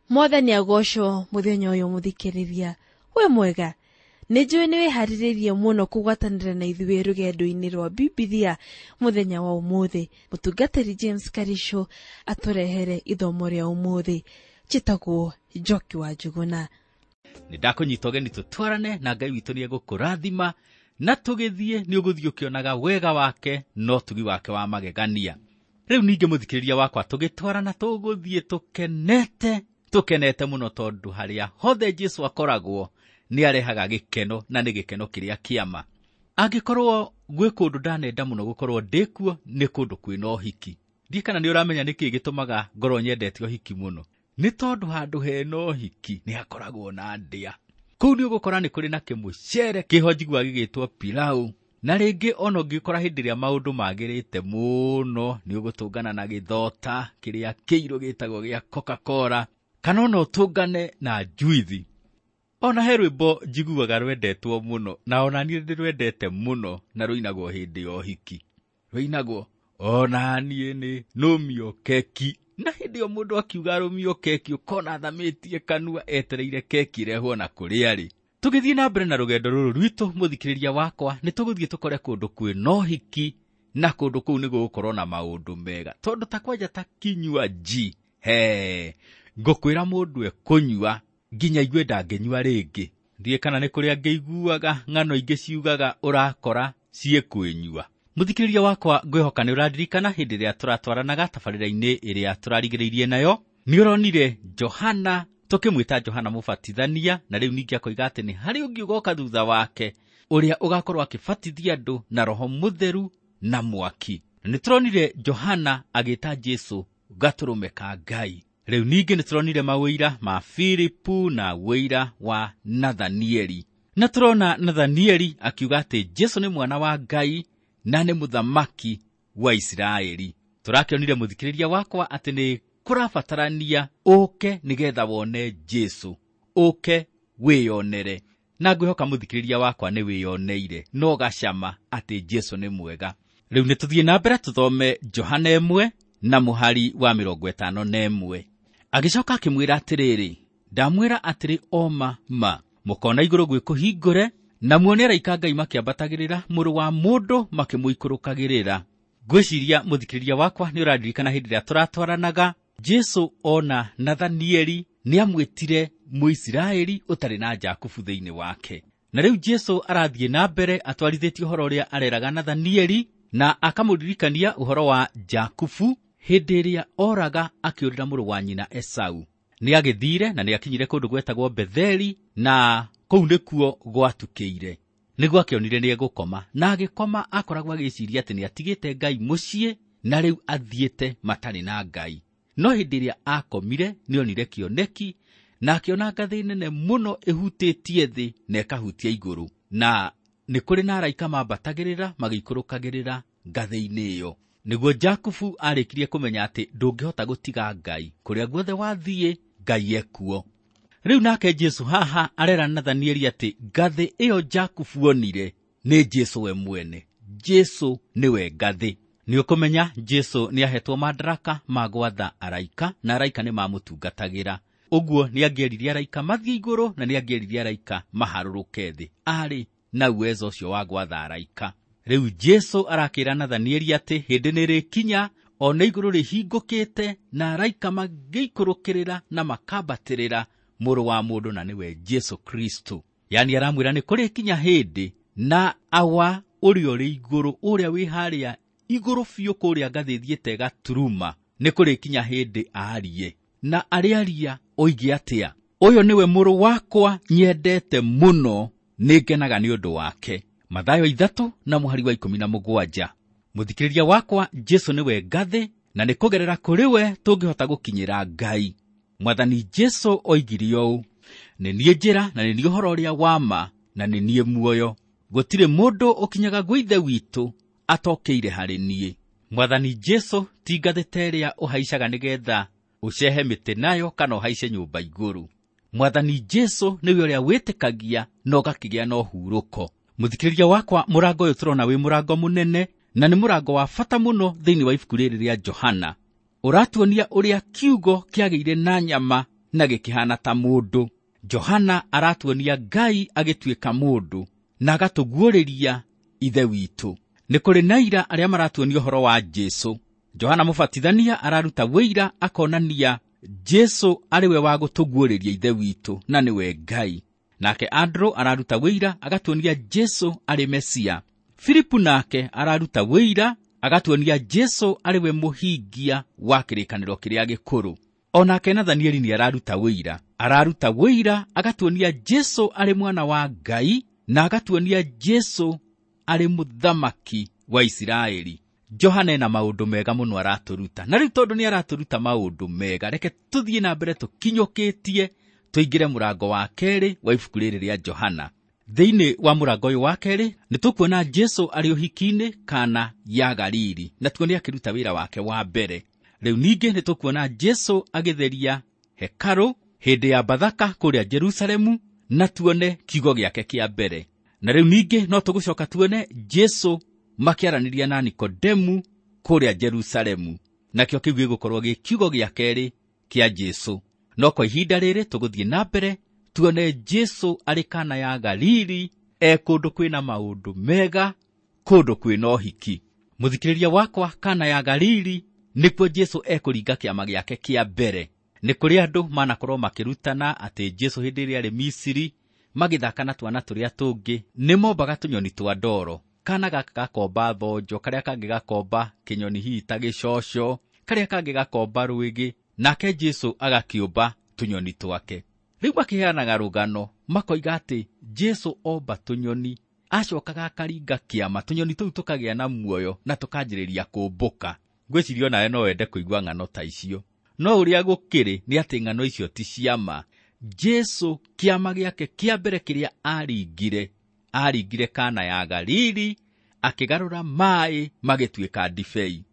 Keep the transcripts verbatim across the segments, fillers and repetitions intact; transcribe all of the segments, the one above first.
Mwathani agocwo muthenya uyu muthikiriria. We mwega, nĩ njũĩ nĩ wĩharĩrĩirie mũno kũgwatanĩra na ithuĩ rũgendo-inĩ rwa Bibilia mũthenya wa ũmũthĩ. Mũtungatĩri James Karisho atũrehere ithomo rĩa ũmũthĩ. Njĩtagwo Njoki wa Njuguna. Nĩ ndakũnyita ũgeni tũtwarane na Ngai witũ nĩ egũkũrathima, na tũgĩthiĩ nĩ ũgũthiĩ ũkĩonaga wega wake na ũtugi wake wa magegania. Rĩu ningĩ mũthikĩrĩria wakwa, tũgĩtwarana tũgũthiĩ tũkenete, tũkenete mũno tondũ harĩa hothe Jesũ akoragwo nĩ arehaga gĩkeno, na nĩ gĩkeno kĩrĩa kĩama. Angĩkorwo gwĩ kũndũ ndanenda mũno gũkorwo ndĩkuo, nĩ kũndũ kwĩna ũhiki. Ndiĩ kana nĩ ũramenya nĩkĩĩ gĩtũmaga ngorwo nyendete ũhiki mũno. Nĩ tondũ handũ hena ũhiki nĩ hakoragwo na ndĩa. Kũu nĩ ũgũkora nĩ kũrĩ na kĩmũcere kĩho njiguaga gĩgĩtwo pilau, na rĩngĩ ona ũngĩkora hĩndĩ ĩrĩa maũndũ magĩrĩte mũno nĩ ũgũtũngana na gĩthota kĩrĩa kĩirũ gĩtagwo gĩa Coca-Cola, kana ona ũtũngane na njuithi. Ona he rwĩmbo njiguaga rwendetwo mũno, na ona niĩ ndĩrwendete mũno, na rũinagwo hĩndĩ ya ũhiki. Rũinagwo, ona niĩ nĩ nũmio keki. Na hĩndĩ ĩyo mũndũ akiuga rũmio keki, ũkona athamĩtie kanua etereire keki ĩrehwo na kũrĩa rĩ. Tũgĩthiĩ na mbere na rũgendo rũrũ rwitũ, mũthikĩrĩria wakwa, nĩ tũgũthiĩ tũkore kũndũ kwĩna ũhiki, na kũndũ kũu nĩ gũgũkorwo na maũndũ mega. Tondũ ta kwanja ta kinywaji, he, ngũkwĩra mũndũ ekũnyua nginya igue ndangĩnyua rĩngĩ. Ndiĩ kana nĩ kũrĩa ngĩiguaga ng'ano ingĩ ciugaga ũrakora ciĩkwĩnyua. Mũthikĩrĩria wakwa, ngwĩhoka nĩ ũraririkana hĩndĩ ĩrĩa tũratwaranaga tabarĩra-inĩ ĩrĩa tũrarigĩrĩirie nayo. Nĩ ũronire Johana, tũkĩmwĩta Johana Mũbatithania, na rĩu ningĩ akoiga atĩ nĩ harĩ ũngĩ ũgoka thutha wake, ũrĩa ũgakorwo akĩbatithia andũ na Roho Mũtheru na mwaki. Na nĩ tũronire Johana agĩta Jesũ gatũrũme ka Ngai. Rĩu ningĩ nĩ tũronire mawĩira ma Filipu na wĩira wa Nathanieli. Na tũrona Nathanieli akiuga atĩ Jesũ nĩ mwana wa Ngai na nĩ mũthamaki wa Isiraeli. Tũrakĩonire mũthikĩrĩria wakwa atĩ nĩ kũrabatarania ũke nĩgetha wone Jesũ, ũke wĩyonere. Na ngwĩhoka mũthikĩrĩria wakwa nĩ wĩyoneire, no gacama atĩ Jesũ nĩ mwega. Rĩu nĩ tũthiĩ na mbere tũthome Johana ĩmwe na mũhari wa mĩrongo ĩtano na ĩmwe. Agĩcoka akĩmwĩra atĩrĩrĩ, ndamwĩra atĩrĩ o ma ma, mũkona igũrũ gwĩ kũhingũre, na muone araika Ngai makĩambatagĩrĩra mũrũ wa mũndũ makĩmũikũrũkagĩrĩra. Ngwĩciria mũthikĩrĩria wakwa nĩ ũraririkana hĩndĩ ĩrĩa tũratwaranaga, Jesũ ona Nathanieli nĩamwĩtire Mũisiraeli ũtarĩ na Jakubu thĩinĩ wake. Na rĩu Jesũ arathiĩ na mbere atwarithĩtie ũhoro ũrĩa areraga Nathanieli, na akamũririkania ũhoro wa Jakubu hĩndĩ ĩrĩa oraga akĩũrĩra mũrũ wa nyina Esau. Nĩagĩthire na nĩakinyire kũndũ gwetagwo Betheli, na kũu nĩkuo gwatukĩire. Nĩguo akĩonire nĩegũkoma, na agĩkoma akoragwo agĩciria atĩ nĩatigĩte Ngai mũciĩ, na rĩu athiĩte matarĩ na Ngai. No hĩndĩ ĩrĩa akomire nĩonire kĩoneki, na akĩona ngathĩ nene mũno ĩhutĩtie thĩ na ĩkahutia igũrũ, na nĩ kũrĩ na araika mambatagĩrĩra magĩikũrũkagĩrĩra ngathĩ-inĩ ĩyo. Nĩguo Jakubu arĩkirie kũmenya atĩ ndũngĩhota gũtiga Ngai, kũrĩa guothe wathiĩ Ngai ekuo. Rĩu nake Jesũ haha arera Nathanieli atĩ ngathĩ ĩyo Jakubu onire nĩ Jesũ we mwene. Jesũ nĩwe ngathĩ. Nĩ ũkũmenya Jesũ nĩahetwo madaraka ma gwatha araika, na araika nĩ mamũtungatagĩra. Ũguo nĩangĩeririe araika mathiĩ igũrũ, na nĩangĩeririe araika maharũrũke thĩ. Arĩ na uwezo ũcio wa gwatha araika. Rĩu Jesũ arakĩra Nathanieli atĩ hĩndĩ nĩrĩkinya ona igũrũ rĩhingũkĩte na araika magĩikũrũkĩrĩra na makambatĩrĩra mũrũ wa mũndũ, na nĩwe Jesũ Kristo. Yaani aramwĩra nĩ kũrĩkinya hĩndĩ na awa ũrĩa ũrĩ igũrũ, ũrĩa wĩ harĩa igũrũ biũ kũrĩa ngathĩ ĩthiĩte ĩgaturuma, nĩ kũrĩkinya hĩndĩ aarie. Na arĩaria oige atĩa? Ũyũ nĩwe mũrũ wakwa nyendete mũno, nĩngenaga nĩ ũndũ wake. Mathayo ithatũ na mũhari wa ikũmi na mũgwanja. Mũthikĩrĩria wakwa, Jesũ nĩwe ngathĩ, na nĩ kũgerera kũrĩ we tũngĩhota gũkinyĩra Ngai. Mwathani Jesũ oigire ũũ, nĩ niĩ njĩra na nĩ niĩ ũhoro ũrĩa wa ma na nĩ niĩ muoyo. Gũtirĩ mũndũ ũkinyaga gwĩ Ithe witũ atokĩire harĩ niĩ. Mwathani Jesũ ti ngathĩ ta ĩrĩa ũhaicaga nĩgetha ũcehe mĩtĩ nayo kana ũhaice nyũmba igũrũ. Mwathani Jesũ nĩwe ũrĩa wĩtĩkagia na ũgakĩgĩa na ũhurũko. Mũthikĩrĩria wakwa, mũrango ũyũ tũrona wĩ mũrango mũnene, na nĩ mũrango wa bata mũno thĩinĩ wa ibuku rĩrĩ rĩa Johana. Ũratuonia ũrĩa kiugo kĩagĩire na nyama na gĩkĩhana ta mũndũ. Johana aratuonia Ngai agĩtuĩka mũndũ na agatũguũrĩria Ithe witũ. Nĩ kũrĩ na aira arĩa maratuonia ũhoro wa Jesũ. Johana Mũbatithania araruta wĩira akonania Jesũ arĩ we wa gũtũguũrĩria Ithe witũ na nĩwe Ngai. Nake Andrew araruta wĩira agatuonia Jesũ arĩ Mesia. Filipu nake araruta wĩira agatuonia Jesũ arĩ we mũhingia wa kĩrĩkanĩro kĩrĩa gĩkũrũ. O nake Nathanieli nĩ araruta wĩira. Araruta wĩira agatuonia Jesũ arĩ mwana wa Ngai na agatuonia Jesũ arĩ mũthamaki wa Isiraeli. Johana ena maũndũ mega mũno aratũruta. Na rĩu tondũ nĩ aratũruta maũndũ mega, reke tũthiĩ na mbere tũkinyũkĩtie tũingĩre mũrango wa kerĩ wa ibuku rĩrĩ rĩa Johana. Thĩinĩ wa mũrango ũyũ wa kerĩ nĩ tũkuona Jesũ arĩ ũhiki-inĩ Kana ya Galili, na tuone akĩruta wĩra wake wa mbere. Rĩu ningĩ nĩ tũkuona Jesũ agĩtheria hekarũ hĩndĩ ya Bathaka kũrĩa Jerusalemu, na tuone kiugo gĩake kĩa mbere. Na rĩu ningĩ no tũgũcoka tuone Jesũ makĩaranĩria na Nikodemu kũrĩa Jerusalemu, nakĩo kĩu gĩgũkorwo gĩ kiugo gĩa kerĩ kĩa Jesũ. No kwa ihinda rĩrĩ tũgũthiĩ na mbere tuone Jesũ arĩ Kana ya Galili, e kũndũ kwĩna maũndũ mega, kũndũ kwĩna ũhiki. Mũthikĩrĩria wakwa, Kana ya Galili nĩkuo Jesũ ekũringa kĩama gĩake kĩa mbere. Nĩ kũrĩ andũ manakorwo makĩrutana atĩ Jesũ hĩndĩ ĩrĩa arĩ Misiri magĩthaka na twana tũrĩa tũngĩ nĩmombaga tũnyoni twa ndoro. Kana gaka gakomba thonjo, karĩa kangĩ gakomba kĩnyoni hihi ta gĩcoco, karĩa kangĩ gakomba rwĩgĩ, nake Jesũ agakĩũmba tũnyoni twake. Rĩu makĩheanaga rũgano makoiga atĩ Jesũ omba tũnyoni acokaga akaringa kĩama, tũnyoni tũu tũkagĩa na muoyo na tũkanjĩrĩria kũmbũka. Ngwĩciria onawe no wende kũigua ng'ano ta icio, no ũrĩa gũkĩrĩ nĩ atĩ ng'ano icio ti cia ma. Jesũ kĩama gĩake kĩa mbere kĩrĩa aringire, aringire Kana ya Galili, akĩgarũra maĩ magĩtuĩka ndibei.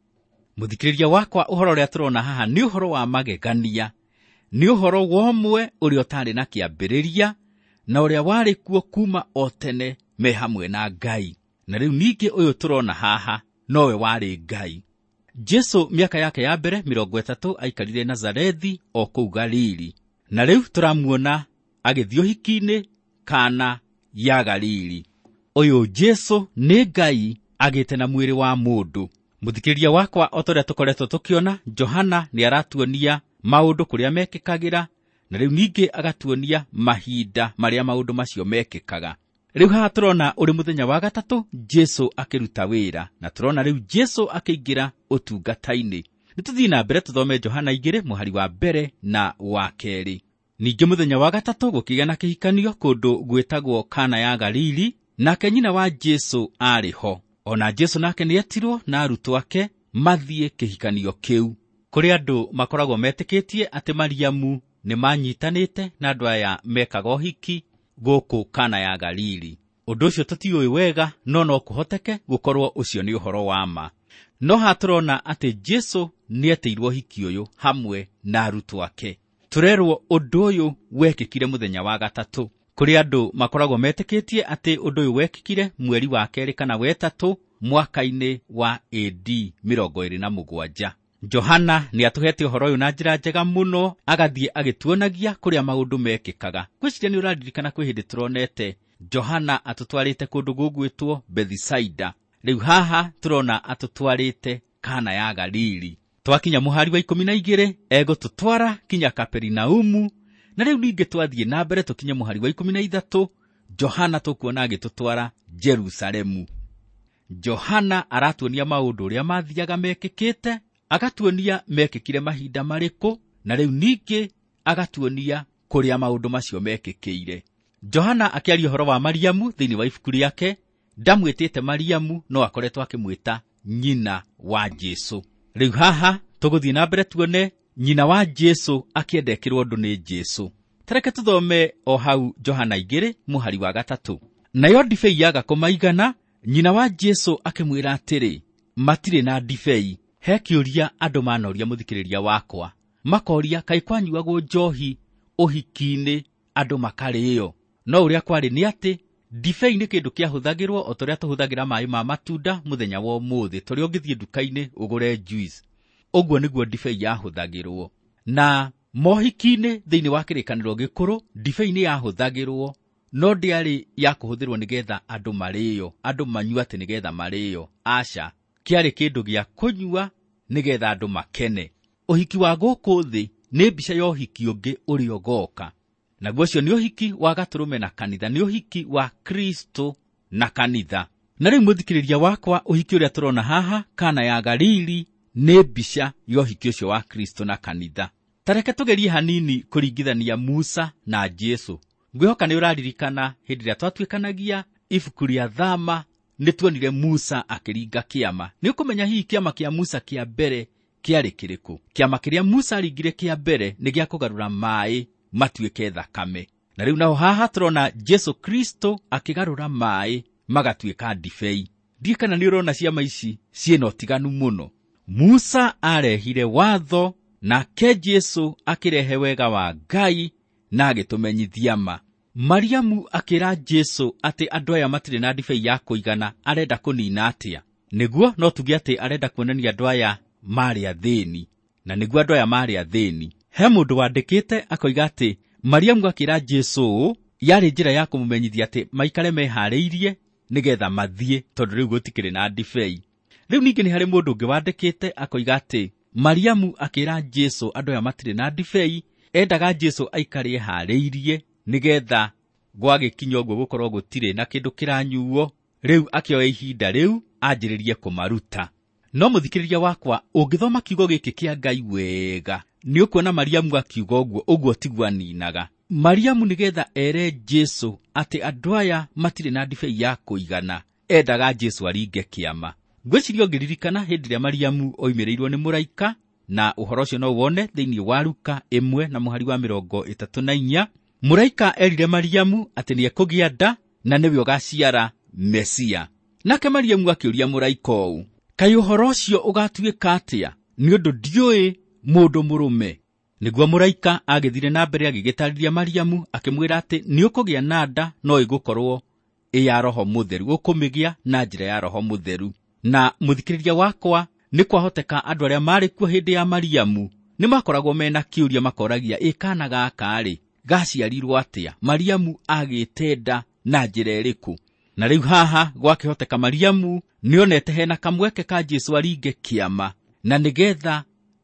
Mũthikĩrĩria wakwa, ũhoro ũrĩa tũrona haha nĩ ũhoro wa magegania, nĩ ũhoro wa ũmwe ũrĩa ũtarĩ na kĩambĩrĩria na ũrĩa warĩ kuo kuma o tene me hamwe na Ngai. Na rĩu ningĩ ũyũ tũrona haha nowe warĩ Ngai. Jesũ mĩaka yake ya mbere mĩrongo ĩtatũ aikarire Nazarethi o kũu Galili, na rĩu tũramuona agĩthiĩ ũhiki-inĩ Kana ya Galili. Ũyũ Jesũ nĩ Ngai agĩte na mwĩrĩ wa mũndũ. Mũthikĩrĩria wakwa, o ta ũrĩa tũkoretwo tũkĩona, Johana nĩ aratuonia maũndũ kũrĩa mekĩkagĩra, na rĩu ningĩ agatuonia mahinda marĩa maũndũ macio mekĩkaga. Rĩu haha tũrona ũrĩ mũthenya wa gatatũ Jesũ akĩruta wĩra, na tũrona rĩu Jesũ akĩingĩra ũtungata-inĩ. Nĩ tũthiĩ na mbere tũthome Johana igĩrĩ mũhari wa mbere na wa kerĩ. Ningĩ mũthenya wa gatatũ gũkĩgĩa na kĩhikanio kũndũ gwĩtagwo Kana ya Galili, nake nyina wa Jesũ aarĩ ho. Ona Jesũ nake nĩetirwo na arutwo ake mathiĩ kĩhikanio kĩu. Kũrĩ andũ makoragwo metĩkĩtie atĩ Mariamu nĩ manyitanĩte na andũ aya mekaga ũhiki gũkũ Kana ya Galili. Ũndũ ũcio tũtiũĩ wega, no no kũhoteke gũkorwo ũcio nĩ ũhoro wa ma. No haha tũrona atĩ Jesũ nĩetĩirwo ũhiki ũyũ hamwe na arutwo ake. Tũrerwo ũndũ ũyũ wekĩkire mũthenya wa gatatũ. Kũrĩ andũ makoragwo metĩkĩtie atĩ ũndũ ũyũ wekĩkire mweri wa kerĩ kana wetatũ mwaka-inĩ wa A D mĩrongo ĩrĩ na mũgwanja. Johana nĩ atũhete ũhoro ũyũ na njĩra njega mũno, agathiĩ agĩtuonagia kũrĩa maũndũ mekĩkaga. Ngwĩciria nĩ ũraririkana kwĩ hĩndĩ tũronete Johana atũtwarĩte kũndũ gũgwĩtwo Bethisaida. Rĩu haha tũrona atũtwarĩte Kana ya Galili. Twakinya mũhari wa ikũmi na igĩrĩ egũtũtwara kinya Kaperinaumu, na rĩu ningĩ twathiĩ na mbere tũkinye mũhari wa ikũmi na ithatũ, Johana tũkuona agĩtũtwara Jerusalemu. Johana aratuonia maũndũ ũrĩa mathiaga mekĩkĩte, agatuonia mekĩkire mahinda marĩkũ, na rĩu ningĩ agatuonia kũrĩa maũndũ macio mekĩkĩire. Johana akĩaria ũhoro wa Mariamu thĩinĩ wa ibuku rĩake, ndamwĩtĩte Mariamu no akoretwo akĩmwĩta nyina wa Jesũ. Rĩu haha tũgũthiĩ na mbere tuone nyina wa Jesũ akĩendekĩrwo ũndũ nĩ Jesũ. Tareke tũthome o hau Johana igĩrĩ mũhari wa gatatũ. Nayo ndibei yaga kũmaigana, nyina wa Jesũ akĩmwĩra atĩrĩ, matirĩ na ndibei. He kĩũria andũ manoria mũthikĩrĩria wakwa, makoria kaĩ kwanyuagwo njohi ũhiki-inĩ andũ makarĩo. No ũrĩa kwarĩ nĩ atĩ ndibei nĩ kĩndũ kĩahũthagĩrwo o ta ũrĩa tũhũthagĩra maĩ ma matunda mũthenya wa ũmũthĩ, tũrĩa ũngĩthiĩ nduka-inĩ ũgũre juice. Ũguo nĩguo ndibei yahũthagĩrwo. Na Mohiki-inĩ thĩinĩ wa kĩrĩkanĩro gĩkũrũ, ndibei nĩ yahũthagĩrwo, no ndĩarĩ ya kũhũthĩrwo nĩgetha andũ marĩĩo, andũ manyue atĩ nĩgetha marĩĩo. Aca, kĩarĩ kĩndũ gĩa kũnyua nĩgetha andũ makene. Ũhiki wa gũkũ thĩ nĩ mbica ya ũhiki ũngĩ ũrĩa ũgoka. Naguo ũcio nĩ ũhiki wa gatũrũme na kanitha, nĩ ũhiki wa Kristo na kanitha. Na rĩu mũthikĩrĩria wakwa, ũhiki ũrĩa tũrona haha Kana ya Galili nĩ mbica ya ũhiki ũcio wa Kristo na kanitha. Ta reke tũgerie hanini kũringithania Musa na Jesu. Ngwĩhoka nĩ ũraririkana hĩndĩ ĩrĩa twatuĩkanagia ibuku rĩa Thama, nĩ tuonire Musa akĩringa kĩama. Nĩ ũkũmenya hihi kĩama kĩa Musa kĩa mbere kĩarĩ kĩrĩkũ? Kĩama kĩrĩa Musa aringire kĩa mbere nĩ gĩa kũgarũra maĩ matuĩke thakame. Na rĩu naho haha tũrona Jesu Kristo akĩgarũra maĩ magatuĩka ndibei. Ndiĩ kana nĩ ũrona ciama ici ciĩna ũtiganu mũno. Musa arehire watho, nake Jesu akĩrehe wega wa Ngai na agĩtũmenyithia ma. Mariamu akĩra Jesu atĩ andũ aya matirĩ na ndibei ya kũigana, arenda kũnina atĩa? Nĩguo no tuge atĩ arenda kuonania andũ aya marĩ athĩni, na nĩguo andũ aya marĩ athĩni. He mũndũ wandĩkĩte akoiga atĩ Mariamu akĩra Jesu ũũ yarĩ njĩra ya kũmũmenyithia atĩ maikare meharĩirie nĩgetha mathiĩ, tondũ rĩu gũtikĩrĩ na ndibei. Rĩu ningĩ nĩ harĩ mũndũ ũngĩ wandĩkĩte akoiga atĩ Mariamu akĩra Jesu andũ aya matirĩ na ndibei, endaga Jesu aikare eharĩirie nĩgetha gwagĩkinya ũguo gũkorwo gũtirĩ na kĩndũ kĩranyuo, rĩu akĩoya ihinda rĩu anjĩrĩrie kũmaruta. No mũthikĩrĩria wakwa, ũngĩthoma kiugo gĩkĩ kĩa Ngai wega, nĩ ũkuona Mariamu akiuga ũguo, ũguo tiguo aninaga. Mariamu nĩgetha ere Jesu atĩ andũ aya matirĩ na ndibei ya kũigana, endaga Jesu aringe kĩama. Ngwĩciria ũngĩririkana hĩndĩ ĩrĩa Mariamu oimĩrĩirwo nĩ mũraika, na ũhoro ũcio no wone thĩinĩ wa Luka ĩmwe na mũhari wa mĩrongo ĩtatũ na inya. Mũraika erire Mariamu atĩ nĩekũgĩa nda na nĩwe ũgaciara Mesia. Nake Mariamu akĩũria mũraika ũũ, kaĩ ũhoro ũcio ũgatuĩka atĩa, nĩ ũndũ ndiũĩ mũndũ mũrũme? Nĩguo mũraika agĩthire na mbere agĩgĩtarĩria Mariamu akĩmwĩra atĩ nĩũkũgĩa na nda no ĩgũkorwo ĩ ya Roho Mũtheru, ũkũmĩgĩa na njĩra ya Roho Mũtheru. Na mũthikĩrĩria wakwa, nĩ kwahoteka andũ arĩa marĩ kuo hĩndĩ ya Mariamu nĩ makoragwo mena kĩũria, makoragia ĩ kana gaka-rĩ gaciarirwo atĩa? Mariamu agĩte nda na njĩra ĩrĩkũ? Na rĩu haha gwakĩhoteka Mariamu nĩonete hena kamweke ka Jesu aringe kĩama, na nĩgetha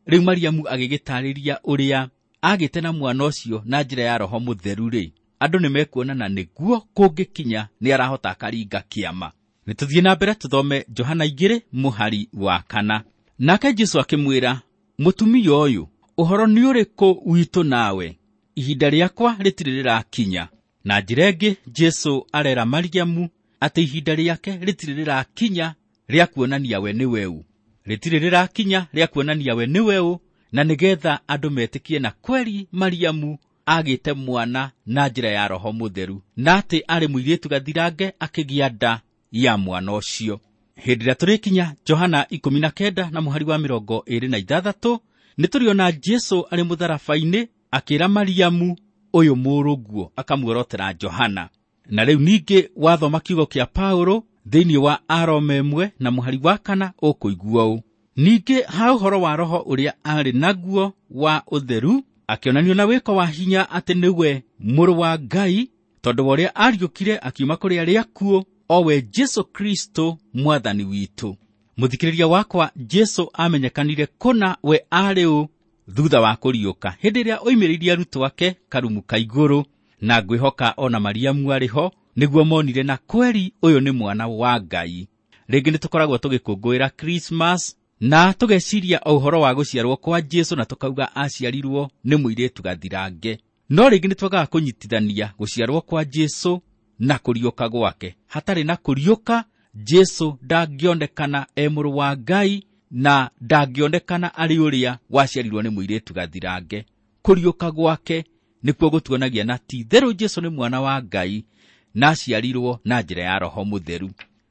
rĩu Mariamu agĩgĩtarĩria ũrĩa agĩte na mwana ũcio na njĩra ya Roho Mũtheru-rĩ, andũ nĩmekuona na nĩguo kũngĩkinya nĩ arahota akaringa kĩama. Nĩ tũthiĩ na mbere tũthome Johana igĩrĩ mũhari wa kana. Nake Jesu akĩmwĩra, mũtumia ũyũ, ũhoro nĩ ũrĩkũ witũ nawe? Ihinda rĩakwa rĩtirĩ rĩrakinya. Na njĩra ĩngĩ Jesu arera Mariamu atĩ ihinda rĩake rĩtirĩ rĩrakinya rĩa kuonania we nĩwe ũ. Rĩtirĩ rĩrakinya rĩa kuonania we nĩwe ũ, na nĩgetha andũ metĩkie na kweri Mariamu agĩte mwana na njĩra ya Roho Mũtheru, na atĩ arĩ mũirĩtu gathirange akĩgĩa nda ya mwana ũcio. Hĩndĩ ĩrĩa tũrĩkinya Johana ikũmi na kenda na mũhari wa mĩrongo ĩĩrĩ na ithathatũ, nĩ tũrĩona Jesu arĩ mũtharaba-inĩ akĩra Mariamu ũyũ mũrũguo, akamuorotera Johana. Na rĩu ningĩ wathoma kiugo kĩa Paulo thĩinĩ wa Aroma ĩmwe na mũhari wa kana ũkũigua ũũ, ningĩ ha ũhoro wa Roho ũrĩa arĩ naguo wa ũtheru, akĩonanio na wĩko wa hinya atĩ nĩwe mũrũ wa Ngai, tondũ wa ũrĩa ariũkire akiuma kũrĩ arĩa akuũ, o we Jesu Kristo mwathani witũ. Mũthikĩrĩria wakwa, Jesu amenyekanire kũna we arĩ ũ thutha wa kũriũka, hĩndĩ ĩrĩa oimĩrĩirie arutwo ake karumu ka igũrũ, na ngwĩhoka ona Mariamu arĩ ho, nĩguo monire na kweri ũyũ nĩ mwana wa Ngai. Rĩngĩ nĩtũkoragwo tũgĩkũngũĩra Christmas na tũgeciria o ũhoro wa gũciarwo kwa Jesu na tũkauga aciarirwo nĩ mũirĩtu gathirange. No rĩngĩ nĩtwagaga kũnyitithania gũciarwo kwa Jesu na kũriũka gwake. Hatarĩ na kũriũka, Jesu ndangĩonekana e mũrũ wa Ngai na ndangĩonekana arĩ ũrĩa waciarirwo nĩ mũirĩtu gathirange. Kũriũka gwake nĩkuo gũtuonagia na ti itherũ Jesu nĩ mwana wa Ngai na aciarirwo na njĩra ya Roho Mũtheru.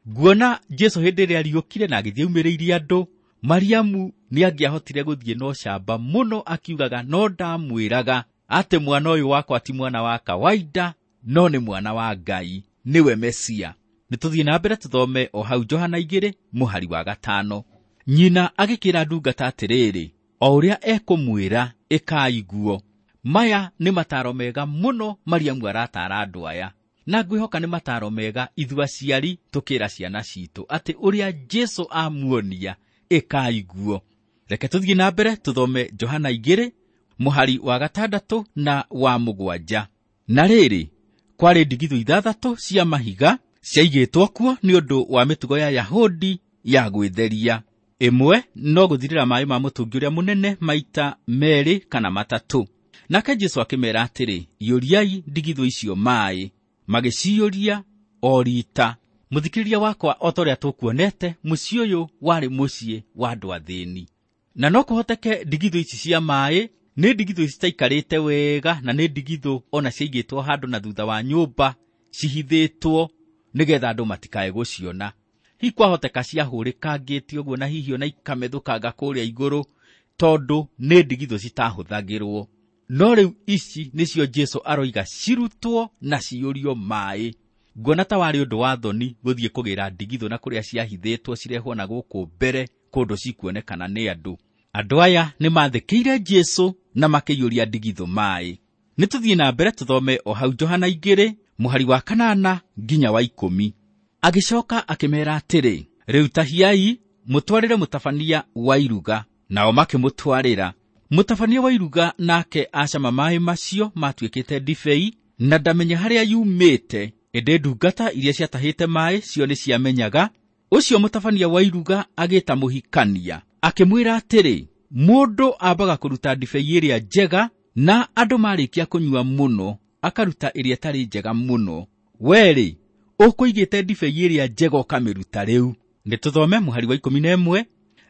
Nguona Jesu hĩndĩ ĩrĩa ariũkire na agĩthiĩ aumĩrĩirie andũ, Mariamu nĩangĩahotire gũthiĩ na ũcamba mũno akiugaga, no ndamwĩraga atĩ mwana ũyũ wakwa ti mwana wa kawaida, no nĩ mwana wa Ngai, nĩwe Mesia. Nĩtũthiĩ na mbere tũthome o hau Johana igĩrĩ mũhari wa gatano. Nyina agĩkĩra ndungata atĩrĩrĩ, o ũrĩa ekũmwĩra ĩkai guo. Maya nĩ mataro mega mũno Mariamu aratara andũ aya, na ngwĩhoka nĩ mataro mega ithuĩ aciari tũkĩra ciana citũ atĩ ũrĩa Jesũ amuonia ĩkai guo. Reke tũthiĩ na mbere tũthome Johana igĩrĩ mũhari wa gatandatũ na wa mũgwanja. Na rĩrĩ, kwarĩ ndigithũ ithathatũ cia mahiga ciaigĩtwo kuo nĩ ũndũ wa mĩtugo ya Yahudi ya gwĩtheria. Ĩmwe no gũthirĩra maaĩ ma mũtũngi ũrĩa mũnene maita merĩ kana matatũ. Nake Jesũ akĩmeera atĩrĩ, iyũriai ndigithũ icio maaĩ. Magĩciyũria o riita. Mũthikĩrĩria wakwa, o ta ũrĩa tũkuonete, mũciĩ ũyũ warĩ mũciĩ wa andũ athĩni. Na no kũhoteke ndigithũ ici cia maaĩ nĩ ndigithũ citaikarĩte wega, na nĩ ndigithũ ona ciaigĩtwo handũ na thutha wa nyũmba cihithĩtwo nĩgetha andũ matikae gũciona. Hihi kwahoteka ciahũrĩkangĩte ũguo na hihi ona ikamethũkanga kũrĩa igũrũ, tondũ nĩ ndigithũ citahũthagĩrwo. No rĩu ici nĩcio Jesũ aroiga cirutwo na ciyũrio maaĩ. Nguona ta warĩ ũndũ wa thoni gũthiĩ kũgĩra ndigithũ na kũrĩa ciahithĩtwo cirehwo na gũkũ mbere kũndũ cikuonekana nĩ andũ. Andũ aya nĩ maathĩkĩire Jesũ na makĩiyũria ndigithũ maaĩ. Nĩ tũthiĩ na mbere tũthome o hau Johana igĩrĩ mũhari wa kanana nginya wa ikũmi. Agĩcoka akĩmeera atĩrĩ, rĩu tahiai mũtwarĩre mũtabania wa iruga. Nao makĩmũtwarĩra. Mũtabania wa iruga nake acama maaĩ macio matuĩkĩte ndibei, na ndamenya harĩa yumĩte, ĩndĩ ndungata iria ciatahĩte maaĩ cio nĩ ciamenyaga. Ũcio mũtabania wa iruga agĩta mũhikania, akĩmwĩra atĩrĩ, mũndũ ambaga kũruta ndibei ĩrĩa njega, na andũ marĩkia kũnyua mũno akaruta ĩrĩa ĩtarĩ njega mũno. Werĩ, ũkũigĩte ndibei ĩrĩa njega ũkamĩruta rĩu. Nĩ tũthome mũhari wa ikũmi na ĩmwe.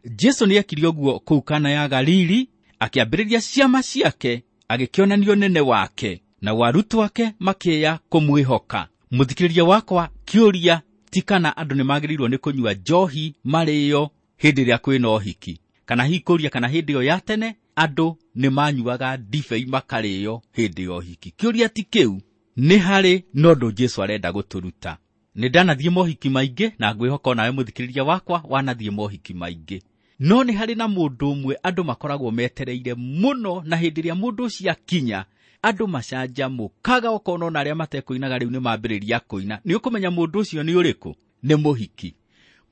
Jesũ nĩekire ũguo kũu Kana ya Galili, akĩambĩrĩria ciama ciake, agĩkĩonania ũnene wake, na arutwo ake makĩya kũmwĩhoka. Mũthikĩrĩria wakwa, kĩũria ti kana andũ nĩ magĩrĩirwo nĩ kũnyua njohi marĩo hĩndĩ ĩrĩa kwĩna ũhiki, kana hihi kũria kana hĩndĩ ĩyo ya tene andũ nĩ manyuaga ndibei makarĩo hĩndĩ ya ũhiki. Kĩũria ti kĩu, nĩ harĩ na ũndũ Jesũ arenda gũtũruta. Nĩ ndanathiĩ mohiki maingĩ, na ngwĩhoka onawe mũthikĩrĩria wakwa wanathiĩ mohiki maingĩ. No nĩ harĩ na mũndũ ũmwe andũ makoragwo metereire mũno, na hĩndĩ ĩrĩa mũndũ ũcio akinya andũ macanjamũkaga, ũkona ona arĩa matekũinaga rĩu nĩ mambĩrĩria kũina. Nĩ ũkũmenya mũndũ ũcio nĩ ũrĩkũ? Nĩ mũhiki.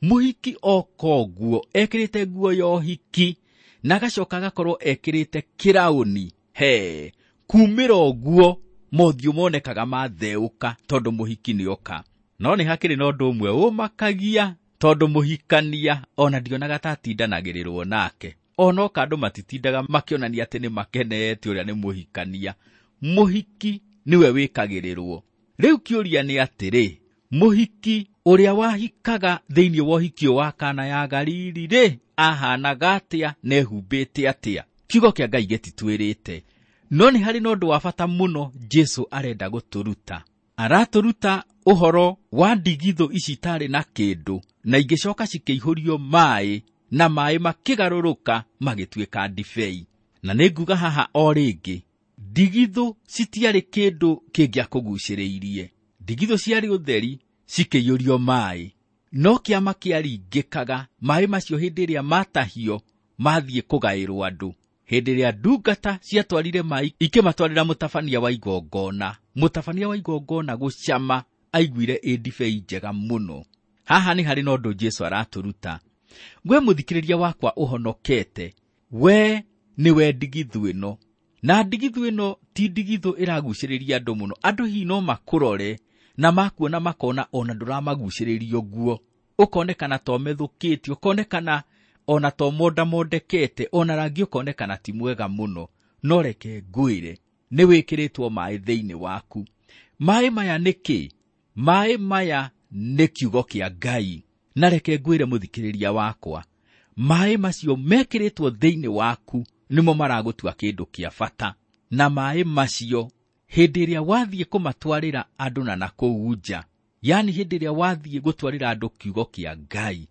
Mũhiki oka ũguo ekĩrĩte nguo ya ũhiki, na agacoka agakorwo ekĩrĩte kĩraũni. He, kumĩra ũguo mothiũ monekaga matheũka tondũ mũhiki nĩ oka. No nĩ hakĩrĩ na ũndũ ũmwe ũmakagia, tondũ mũhikania ona ndionaga ta atindanagĩrĩrwo nake. Ona oka andũ matitindaga makĩonania atĩ nĩ makenete ũrĩa nĩ mũhikania. Mũhiki nĩwe wĩkagĩrĩrwo. Rĩu kĩũria nĩ atĩrĩ, mũhiki ũrĩa wahikaga thĩinĩ wa ũhiki wa Kana ya Galili rĩ, ahanaga atĩa na ehumbĩte atĩa? Kiugo kĩa Ngai gĩtitwĩrĩte. No nĩ harĩ na ũndũ wa bata mũno Jesũ arenda gũtũruta. Aratũruta ũhoro wa ndigithũ ici itarĩ na kĩndũ, na ingĩcoka cikĩihũrio maaĩ, na maaĩ makĩgarũrũka magĩtuĩka ndibei. Na nĩ nguga haha o rĩngĩ, ndigithũ citiarĩ kĩndũ kĩngĩakũgucĩrĩirie. Ndigithũ ciarĩ ũtheri cikĩiyũrio maaĩ, no kĩama kĩaringĩkaga maaĩ macio hĩndĩ ĩrĩa matahio mathiĩ kũgaĩrwo andũ. Hĩndĩ ĩrĩa ndungata ciatwarire maaĩ ikĩmatwarĩra mũtabania wa igongona, mũtabania wa igongona gũcama aiguire ĩ ndibei njega mũno. Haha nĩ harĩ na ũndũ Jesũ aratũruta. We mũthikĩrĩria wakwa ũhonokete, we nĩwe ndigithũ ĩno. Na ndigithũ ĩno ti ndigithũ ĩragucĩrĩria andũ mũno. Andũ hihi no makũrore na makuona makona ona ndũramagucĩrĩria ũguo, ũkonekana to methũkĩte, ũkonekana ona to mondamondekete, ona rangi ũkonekana ti mwega mũno. No reke ngwĩre, nĩ wĩkĩrĩtwo maaĩ thĩinĩ waku. Maaĩ maya nĩ kĩ? Maaĩ maya nĩ kiugo kĩa Ngai. Na reke ngwĩre mũthikĩrĩria wakwa, maaĩ macio mekĩrĩtwo thĩinĩ waku nĩmo maragũtua kĩndũ kĩa bata. Na maaĩ macio hĩndĩ ĩrĩa wathiĩ kũmatwarĩra andũ na nakũu nja, yani hĩndĩ ĩrĩa wathiĩ gũtwarĩra andũ kiugo kĩa Ngai,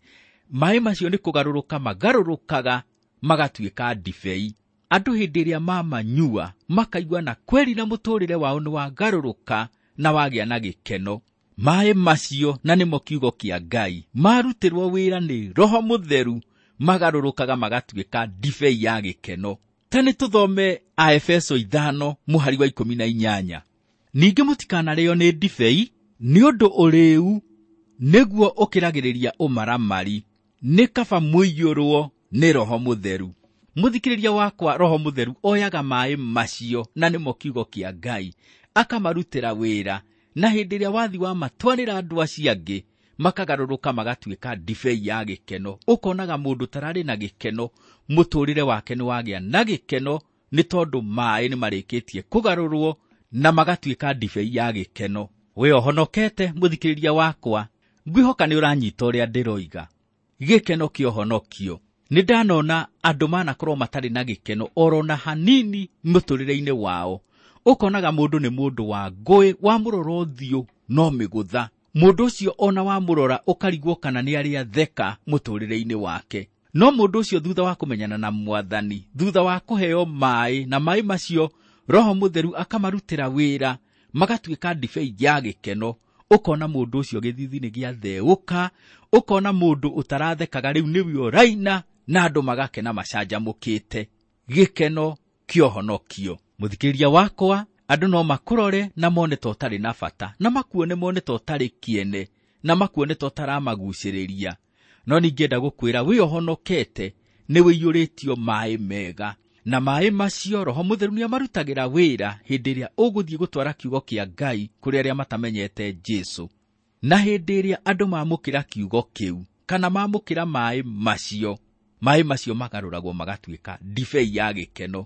maaĩ macio nĩ kũgarũrũka magarũrũkaga magatuĩka ndibei. Andũ hĩndĩ ĩrĩa mamanyua makaigua na kweri na mũtũrĩre wao nĩ wagarũrũka na wagĩa na gĩkeno. Maaĩ macio na nĩmo kiugo kĩa Ngai marutĩrwo wĩra nĩ Roho Mũtheru magarũrũkaga magatuĩka ndibei ya gĩkeno. Ta nĩ tũthome Aefeso ithano mũhari wa ikũmi na inyanya. Ningĩ mũtikanarĩo nĩ ndibei nĩ ũndũ ũrĩĩu nĩguo ũkĩragĩrĩria ũmaramari, nĩ kaba mũiyũrwo nĩ Roho Mũtheru. Mũthikĩrĩria wakwa, Roho Mũtheru oyaga maĩ macio na nĩmo kiugo kĩa Ngai akamarutĩra wĩra, na hĩndĩ ĩrĩa wathi wa matwarĩra andũ acio angĩ makagarũrũka magatuĩka ndibei ya gĩkeno. Ũkonaga mũndũ tararĩ na gĩkeno, mũtũrĩre wake nĩ wagĩa na gĩkeno nĩ tondũ maĩ nĩ marĩkĩtie kũgarũrwo na magatuĩka ndibei ya gĩkeno. We ũhonokete mũthikĩrĩria wakwa, ngwĩhoka nĩ ũranyita ũrĩa ndĩroiga. Gĩkeno kĩa ũhonokio. Nĩ ndanona andũ manakorwo matarĩ na gĩkeno oro na hanini mũtũrĩre-inĩ wao. Ũkonaga mũndũ nĩ mũndũ wa ngũĩ, wamũrora ũthiũ no mĩgũtha. Mũndũ ũcio ona wamũrora ũkarigwo kana nĩ arĩa theka mũtũrĩre-inĩ wake. No mũndũ ũcio thutha wa kũmenyana na Mwathani, thutha wa kũheo maĩ, na maĩ macio Roho Mũtheru akamarutĩra wĩra, magatuĩka ndibei ya gĩkeno. Ũkona mũndũ ũcio gĩthithi nĩ gĩatheũka, ũkona mũndũ ũtarathekaga rĩu nĩwe ũraina, na andũ magakena macanjamũkĩte. Gĩkeno kĩa ũhonokio. Mũthikĩrĩria wakwa, andũ no makũrore na mone ta ũtarĩ na bata, na makuone mone ta ũtarĩ kĩene, na makuone ta ũtaramagucĩrĩria. No ningĩenda gũkwĩra wĩ ũhonokete nĩ wĩiyũrĩtio maĩ mega, na maĩ macio Roho Mũtheru nĩamarutagĩra wĩra hĩndĩ ĩrĩa ũgũthiĩ gũtwara kiugo kĩa Ngai kũrĩ arĩa matamenyete Jesũ. Na hĩndĩ ĩrĩa andũ mamũkĩra kiugo kĩu kana mamũkĩra maĩ macio, maĩ macio magarũragwo magatuĩka ndibei ya gĩkeno.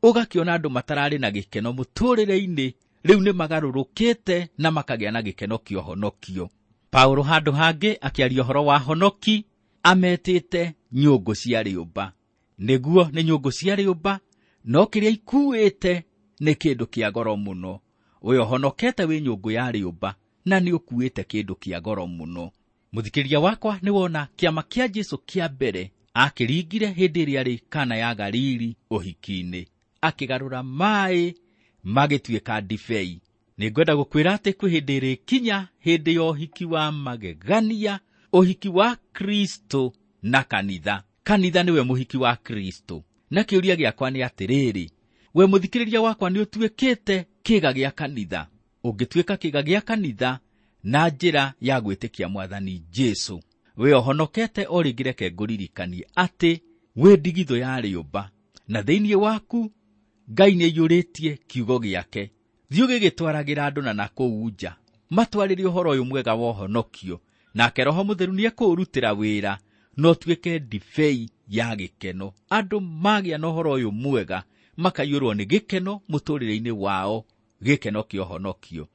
Ũgakĩona andũ matararĩ na gĩkeno mũtũrĩre-inĩ rĩu nĩ magarũrũkĩte na makagĩa na gĩkeno kĩa ũhonokio. Paulo handũ hangĩ akĩaria ũhoro wa honoki ametĩte nyũngũ cia rĩũmba. Nĩguo nĩ nyũngũ cia rĩũmba, no kĩrĩa ikuĩte nĩ kĩndũ kĩa goro mũno. Ũyũ ũhonokete wĩ nyũngũ ya rĩũmba na nĩ ũkuĩte kĩndũ kĩa goro mũno. Mũthikĩrĩria wakwa, nĩ wona kĩama kĩa Jesũ kĩa mbere akĩringire hĩndĩ ĩrĩa arĩ Kana ya Galili ũhiki-inĩ, akĩgarũra maĩ magĩtuĩka ndibei. Nĩngwenda gũkwĩra atĩ kwĩ hĩndĩ ĩrĩkinya hĩndĩ ya ũhiki wa magegania, ũhiki wa Kristo na kanitha. Kanitha nĩwe mũhiki wa Kristo. Na kĩũria gĩakwa nĩ atĩrĩrĩ, we mũthikĩrĩria wakwa nĩ ũtuĩkĩte kĩga gĩa kanitha? Ũngĩtuĩka kĩga gĩa kanitha na njĩra ya gwĩtĩkia Mwathani Jesũ, we ũhonokete o rĩngĩ reke ngũririkanie atĩ wĩ ndigithũ ya rĩũmba, na thĩinĩ waku Ngai nĩaiyũrĩtie kiugo gĩake. Thiĩ ũgĩgĩtwaragĩra andũ na nakũu nja, matwarĩre ũhoro ũyũ mwega wa ũhonokio, nake Roho Mũtheru nĩekũũrutĩra wĩra na ũtuĩke ndibei ya gĩkeno. Andũ magĩa na ũhoro ũyũ mwega makaiyũrwo nĩ gĩkeno mũtũrĩre-inĩ wao, gĩkeno kĩa ũhonokio.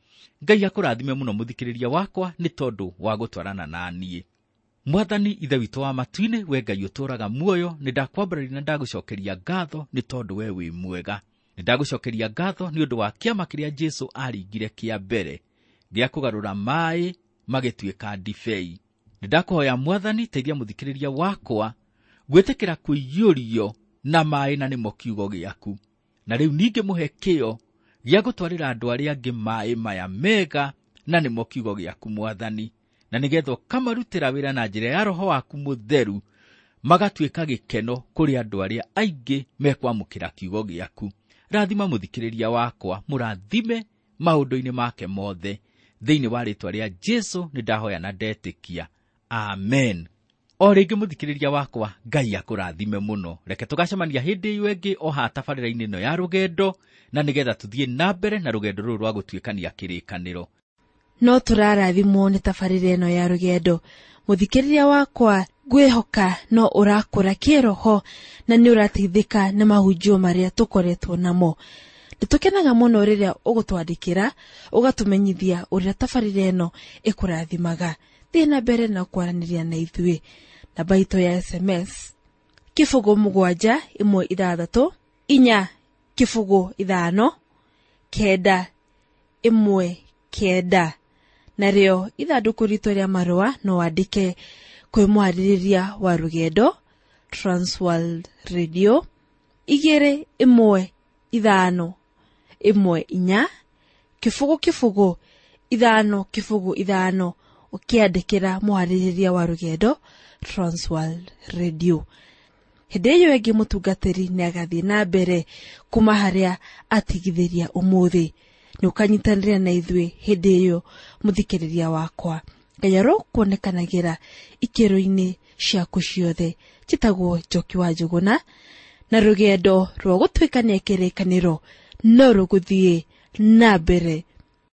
Ngai akũrathime mũno mũthikĩrĩria wakwa nĩ tondũ wa gũtwarana na niĩ. Mwathani Ithe witũ wa matu-inĩ, we Ngai ũtũũraga muoyo, nĩ ndakwambararia na ndagũcokeria ngatho nĩ tondũ we wĩ mwega. Nĩ ndagũcokeria ngatho nĩ ũndũ wa kĩama kĩrĩa Jesũ aringire kĩa mbere gĩa kũgarũra maĩ magĩtuĩka ndibei. Nĩ ndakũhoya Mwathani, teithia mũthikĩrĩria wakwa gwĩtĩkĩra kũiyũrio na maĩ na nĩmo kiugo gĩaku. Na rĩu ningĩ mũhe kĩyo gĩa gũtwarĩra andũ arĩa angĩ maĩ maya mega na nĩmo kiugo gĩaku Mwathani, na nĩgetha ũkamarutĩra wĩra na njĩra ya Roho waku Mũtheru, magatuĩka gĩkeno kũrĩ andũ arĩa aingĩ mekwamũkĩra kiugo gĩaku. Rathima mũthikĩrĩria wakwa, mũrathime maũndũ-inĩ make mothe. Thĩinĩ wa rĩĩtwa rĩa Jesũ nĩ ndahoya na ndetĩkia, amen. O rĩngĩ mũthikĩrĩria wakwa, Ngai akũrathime mũno. Reke tũgacemania hĩndĩ ĩyo ĩngĩ o haha tabarĩra-inĩ ĩno ya rũgendo, na nĩgetha tũthiĩ na mbere na rũgendo rũrũ rwa gũtuĩkania kĩrĩkanĩro. No tũrarathimwo nĩ tabarĩra ĩno ya rũgendo. Mũthikĩrĩria wakwa, ngwĩhoka no ũrakũra kĩroho na nĩ ũrateithĩka nĩ mahunjio marĩa tũkoretwo namo. Nĩtũkenaga mũno rĩrĩa ũgũtwandĩkĩra ũgatũmenyithia ũrĩa tabarĩra ĩno ĩkũrathimaga. Thiĩ na mbere na kwaranĩria na ithuĩ. Namba itũ ya S M S kĩbũgũ mũgwanja ĩmwe ithathatũ inya kĩbũgũ ithano kenda ĩmwe kenda. Narĩo ithandũkũ ritũ rĩa marũa no wandĩke kwĩ mwarĩrĩria wa rũgendo Transworld Radio igĩrĩ ĩmwe ithano ĩmwe inya kĩbũgũ kĩbũgũ ithano kĩbũgũ ithano, ũkĩandĩkĩra mwarĩrĩria wa rũgendo Transworld Radio. Hĩndĩ ĩyo ĩngĩ mũtungatĩri nĩ agathiĩ na mbere kuma harĩa atigithĩria ũmũthĩ. Nĩ ũkanyitanĩra na ithuĩ hĩndĩ ĩyo mũthikĩrĩria wakwa. Ngai arokuonekanagĩra ikĩro-inĩ ciaku ciothe. Njĩtagwo Njoki wa Njũgũna, na rũgendo rwa gũtuĩkania kĩrĩkanĩro no rũgũthiĩ na mbere.